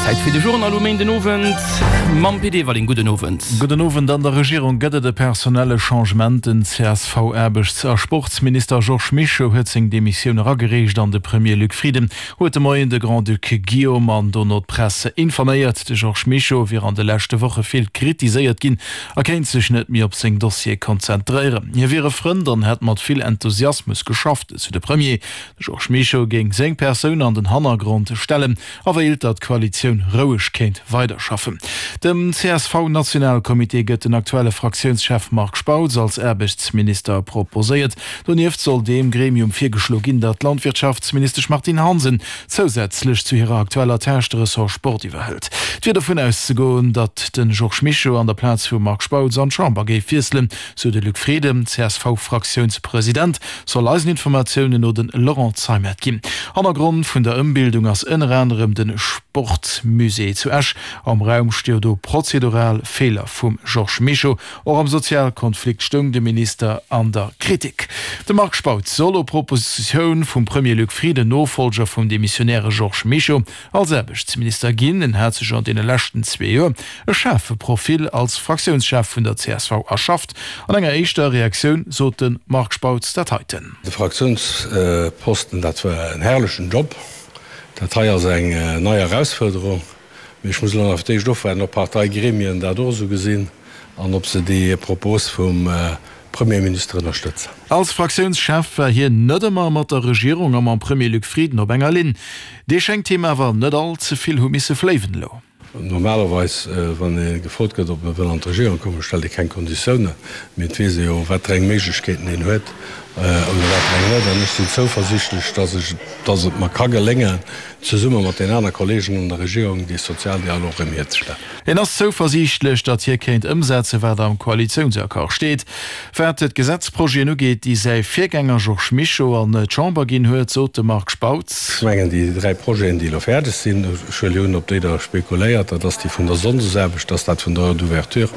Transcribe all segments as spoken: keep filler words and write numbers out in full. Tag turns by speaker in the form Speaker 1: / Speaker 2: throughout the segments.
Speaker 1: Zäit fir de Journal um Méinden Owend mam Pit Everling. Gudden Owend.
Speaker 2: Gudden Owend. An der Regierung gëtt et e personelle Changement. Den C S V-Aarbechts a Sportsminister Georges Mischo huet seng Demissioun eragereecht an de Premier Luc Frieden huet de Moien de Grand-Duc Guillaume an dono d'Press informéiert. De Georges Mischo wier an de leschte Woche vill kritiséiert ginn a kéint sech net méi op seng Dossiere konzentréieren. Hie wier e Frënd an hätt mat vill Enthusiasmus geschafft, esou de Premier. De Georges Mischo géing seng Persoun an den Hannergrond stellen a wéilt, datt d'Koalitioun roueg kéint weiderschaffen. Dem C S V-Nationalcomité gëtt den aktuelle Fraktiounschef Marc Spautz als Aarbechtsminister proposéiert. Donieft soll deem Gremium virgeschlo ginn, datt d'Landwirtschaftsministesch Martine Hansen zousätzlech zu hirer aktueller Tâche de Ressort Sport iwwerhëlt. Et wier dovun auszegoen, datt de Georges Mischo an der Plaz vum Marc Spautz an d'Chamber géif wiesselen, sou de Luc Frieden. C S V-Fraktiounspresident soll eisen Informatiounen no de Laurent Zeimet ginn. Hannergrond vun der Ëmbildung ass ënner anerem de Sportmusée zu Esch. Am Raum stio do prozedural Feeler vum Georges Mischo. Och am Sozialkonflikt stoung de Minister an der Kritik. De Marc Spautz soll op Propositioun vum Premier Luc Frieden Nofollger vum demissionäre Georges Mischo als Aarbechtsminister ginn. En hat sech an deene leschten zwee Joer e schaarfe Profil als Fraktiounschef vun der C S V erschafft. An enger éischter Reaktioun sot de Marc Spautz dat heiten.
Speaker 3: De Fraktiounsposten, dat war en herrlechen Job. Dat hei ass eng nei Herausforderung. Mee ech muss elo nach d'éischt ofwaarden, ob Parteigremien dat och esou gesinn an ob se déi Propos vum Premierminister ënnerstëtzen.
Speaker 2: Als Fraktiounschef war hien net ëmmer mat der Regierung a mam Premier Luc Frieden op enger Linn. Dee schéngt him awer net all ze vill hu misse fléiwen elo.
Speaker 3: Normalerweis, wann ee gefrot gëtt, ob e wëll an d'Regierung kommen, stellt ee keng Konditiounen. Mee et weess ee jo, wat fir eng Méiglechkeeten een huet oder wat fir eng net. An ech sinn zouversiichtlech, dass ech, dass et mer ka geléngen, zesumme mat den aner Kollegen an der Regierung dee Sozialdialog erëm hierzestellen.
Speaker 2: Hien ass zouversiichtlech, datt hie kéint ëmsetzen, wat am Koalitiounsaccord steet. Wat d'Gesetzprojeten ugeet, déi säi Virgänger Georges Mischo an d'Chamber ginn huet, sot de Marc Spautz.
Speaker 3: Ech mengen, déi dräi Projeten, déi elo fäerdeg sinn, ech huele un, op déi Der spekuléiert, dat ass déi vun der Sonndesaarbecht, dat ass dat vun der Heure d'ouverture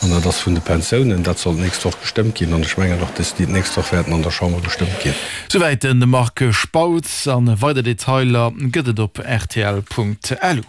Speaker 3: an dat ass vun de Pensiounen. Dat soll d'nächst Woch gestëmmt ginn an ech mengen och, dass déi d'nächst Woch wäerten an der Chamber gestëmmt ginn.
Speaker 2: Souwäit de Marc Spautz. An weider Detailer gëtt et op R T L Punkt L U.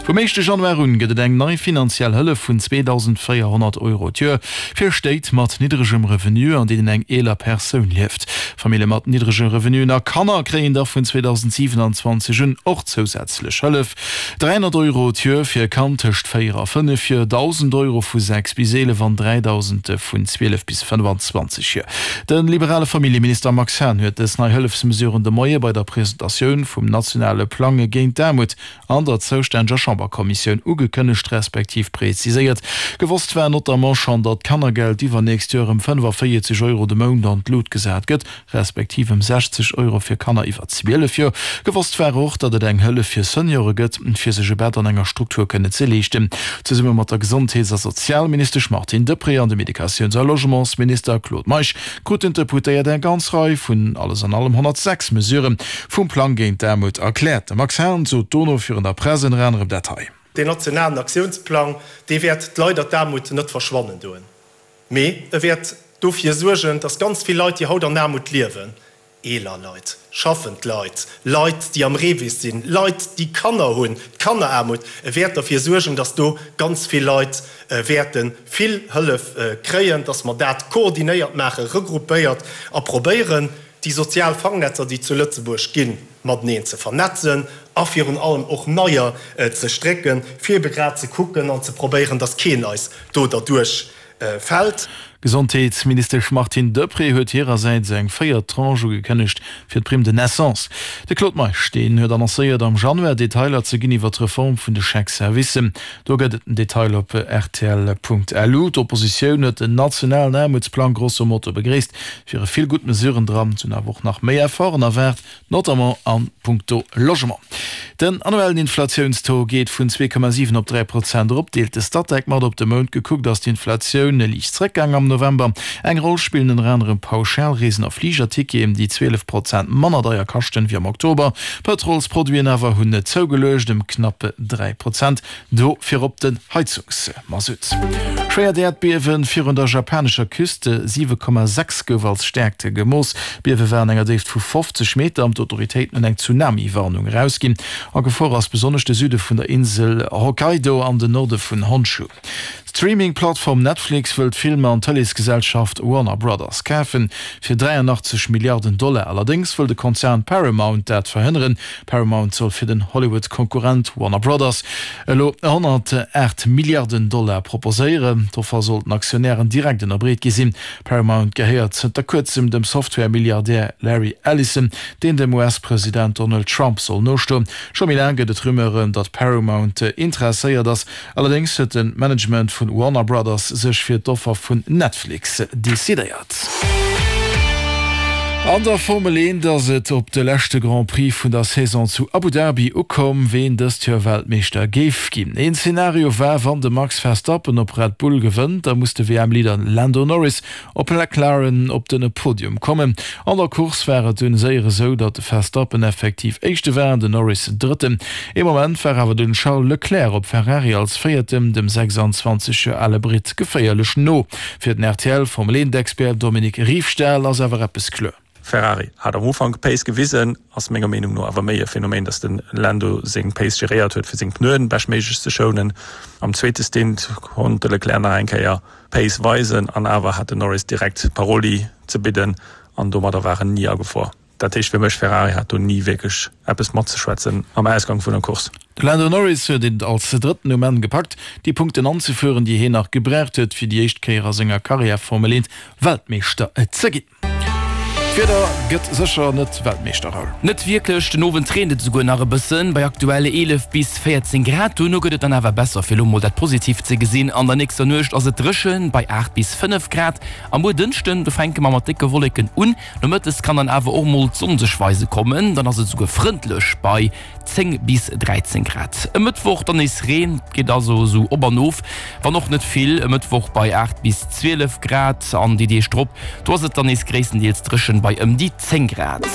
Speaker 2: Vum éischte Januar un gëtt et eng nei finanziell Hëllef vun zweedausendvéierhonnert Euro d'Joer fir Stéit mat niddregem Revenu, an deenen eng eeler Persoun lieft. Famillje mat niddrege Revenuen a Kanner kréien da vun zweedausendsiewenundzwanzeg un och zousätzlech Hëllef. dräihonnert Euro d'Joer fir e Kand tëscht véier a fënnef Joer, dausend Euro vu sechs bis eelef an dräidausend vun zwielef bis fënnefanzwanzeg Joer. De liberale Familljeminister Max Hahn huet dës nei Hëllefsmesuren de Moie bei der Presentatioun vum nationale Plang géint d'Aarmut an der zoustänneger Chamberkommissioun ugekënnegt respektiv präziséiert. Gewosst war notamment schonn, datt d'Kannergeld iwwernächst Joer ëm fënnefavéierzeg Euro de Mount an d'Lut gesat gëtt, respektiv ëm sechzeg Euro fir Kanner iwwer zwielef Joer. Gewosst war och, datt et eng Hëllef fir Seniore gëtt, fir sech e Bett an enger Struktur kënnen ze leeschten. Zesumme mat der Gesondheets- a Sozialministesch Martine Deprez an dem Educatiouns- a Logementsminister Claude Meisch kruten d'Deputéiert eng ganz Rei vun alles an allem honnertsechs Mesuren vum Plang géint d'Aarmut erkläert. De Max Hahn sot dono virun der Press ënner anerem dat hei.
Speaker 4: Den nationalen Aktiounsplang, dee wäert d'Leit an d'Aarmut net verschwannen doen. Mee e wäert dofir suergen, dass ganz vill Leit, déi haut an Aarmut liewen, eeler Leit, schaffend Leit, Leit, déi am Revis sinn, Leit, déi Kanner hunn, d'Kanneraarmut, e wäert dofir suergen, dass do ganz vill Leit wäerte vill Hëllef kréien, dass mer dat koordinéiert maachen, regroupéiert a probéieren, déi sozial Fangnetzer, déi zu Lëtzebuerg ginn, mateneen ze vernetzen a virun allem och neier ze strécken, fir ebe grad ze kucken an ze probéieren, dass keen eis do derduerch fält.
Speaker 2: Gesondheetsministesch Martine Deprez huet hirersäits eng véiert Tranche ugekënnegt fir d'Prime de naissance. De Claude Meisch, deen huet annoncéiert, am Januar Detailer ze ginn iwwer d'Reform vun de Chèque-Servicen. Do gëtt et den Detail op R T L Punkt L U. D'Oppositioun huet den nationalen Aarmutsplang grosso modo begréisst, wiere vill gutt Mesuren dran, sinn awer och nach méi Efforten erwaart, notamment an puncto Logement. Den annuellen Inflatiounstaux geet vun zwee Komma siwen op dräi Prozent erop, deelt de Statec mat. Op de Mount gekuckt ass d'Inflatioun liicht zréckgaang am November. Eng Roll spillen ënner anerem Pauschalreesen a Fligerticketen, déi zwielef Prozent manner deier kaschten wéi am Oktober. Pëtrolsproduiten awer hunn net zougeluecht, ëm knapp dräi Prozent, do virop den Heizungsmasutt. Schwéiert Äerdbiewe virun der japanescher Küste, siwe Komma sechs gouf als Stäerkt gemooss. D'Biewe war an enger Déift vu fofzeg Meter an d'Autoritéiten hunn eng Tsunami-Warnung erausginn. A Gefor ass besonnesch de Süde vun der Insel Hokkaido an den Norde vun Honshu. D'Streaming-Plattform Netflix wëll d'Filmer an Tëleesgesellschaft Warner Brothers kafen, fir dräianachtzeg Milliarden Dollar. Allerdéngs wëll de Konzern Paramount dat verhënneren. Paramount soll fir den Hollywood-Konkurrent Warner Brothers elo honnertaacht Milliarden Dollar proposéieren. D'Offer soll den Aktionären direkt ënnerbreet gi sinn. Paramount gehéiert zënter kuerzem dem Software-Milliardär Larry Ellison, deen dem U S-President Donald Trump soll nostoen. Scho méi laang gëtt et Rumeuren, datt Paramount interesséiert ass. Allerdéngs huet de Management vun Warner Brothers sech fir d'Offer vun Netflix decidéiert. An der Formel eent ass et op de leschte Grand Prix vun der Saison zu Abu Dhabi ukomm, ween dëst Joer Weltmeeschter géif ginn. Een Zenario war, wann de Max Verstappen op Red Bull gewënnt, da muss de W M-Leader Lando Norris op McLaren op den Podium kommen. An der Course war et dunn séier esou, datt de Verstappen effektiv Éischte war an den Norris Drëtten. Ee Moment war awer den Charles Leclerc op Ferrari als Véierten dem sechsanzwanzeg Joer ale Britt geféierlech no. Fir den R T L Formel eent Expert Dominique Riefstahl ass awer eppes kloer.
Speaker 5: Ferrari hat am Ufank Pace gewisen, ass menger Meenung no awer méi e Phänomen, datt de Lando seng Pace geréiert huet fir seng Pneuen beschtméiglech ze schounen. Am zweete Stint konnt de Leclerc nach eng Kéier Pace weisen an awer hat den Norris direkt Paroli ze bidden an domadder war en ni a Gefor. Dat heescht fir mech, Ferrari hat do ni wierklech eppes matzeschwätzen am Ausgang vun der Course.
Speaker 2: De Lando Norris huet et als Drëtten um Enn gepackt, déi Punkten anzefueren, déi hien nach gebraucht huet, fir déi éischt Kéier a senger Karriär Formel eent Weltmeeschter ze ginn. D'Wieder gëtt sécher net Weltmeeschter, Raoul.
Speaker 1: Net wierklech, den Owend reent et esouguer nach e bëssen, bei aktuell eelef bis véierzéng Grad. Duerno gëtt et dann awer besser, fir elo mol dat Positiivt ze gesinn. An der nächster Nuecht ass et dréchen, bei aacht bis fënnef Grad. A muer Dënschden, do fänke mer mat décke Wolleken un, nomëttes kann dann awer och mol d'Sonn sech weise kommen, dann ass et esouguer frëndlech bei zéng bis dräizéng Grad. E Mëttwoch dann nees Reen, et geet also esou op an of, wann och net vill. E Mëttwoch bei aacht bis zwielef Grad an déi Deeg drop, do ass et dann nees gréisstendeels dréchen bei ëm déi zéng Grad.